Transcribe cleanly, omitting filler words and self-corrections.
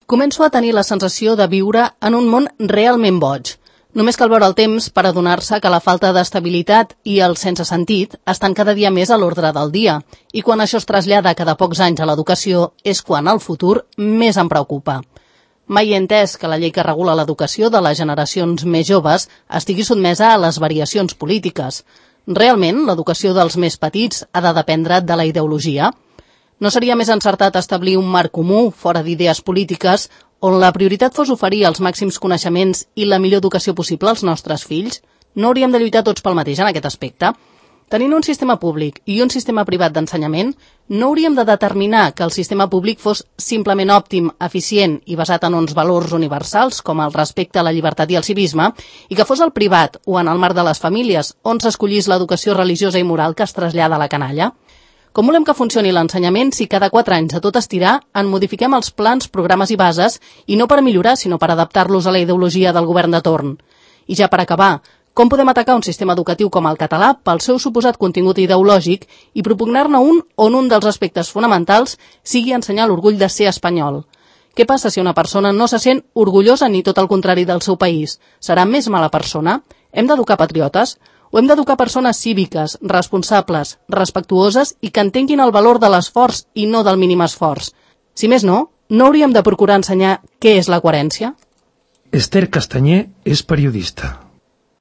Començo a tenir la sensació de viure en un món realment boig. Només cal veure el temps per adonar-se que la falta d'estabilitat i el sense sentit estan cada dia més a l'ordre del dia, i quan això es trasllada cada pocs anys a l'educació és quan el futur més em preocupa. Mai he entès que la llei que regula l'educació de les generacions més joves estigui sotmesa a les variacions polítiques. Realment, l'educació dels més petits ha de dependre de la ideologia? No seria més encertat establir un marc comú, fora d'idees polítiques, on la prioritat fos oferir els màxims coneixements i la millor educació possible als nostres fills? No hauríem de lluitar tots pel mateix en aquest aspecte? Tenint un sistema públic i un sistema privat d'ensenyament, no hauríem de determinar que el sistema públic fos simplement òptim, eficient i basat en uns valors universals, com el respecte a la llibertat i el civisme, i que fos el privat o en el marc de les famílies, on s'escollís l'educació religiosa i moral que es trasllada a la canalla? Com volem que funcioni l'ensenyament si cada 4 anys a tot estirar en modifiquem els plans, programes i bases, i no per millorar, sinó per adaptar-los a la ideologia del govern de torn? I ja per acabar, com podem atacar un sistema educatiu com el català pel seu suposat contingut ideològic i propugnar-ne un on un dels aspectes fonamentals sigui ensenyar l'orgull de ser espanyol? Què passa si una persona no se sent orgullosa ni tot el contrari del seu país? Serà més mala persona? Hem d'educar patriotes? O hem d'educar persones cíviques, responsables, respectuoses i que entenguin el valor de l'esforç i no del mínim esforç? Si més no, no hauríem de procurar ensenyar què és la coherència? Esther Castanyer és periodista.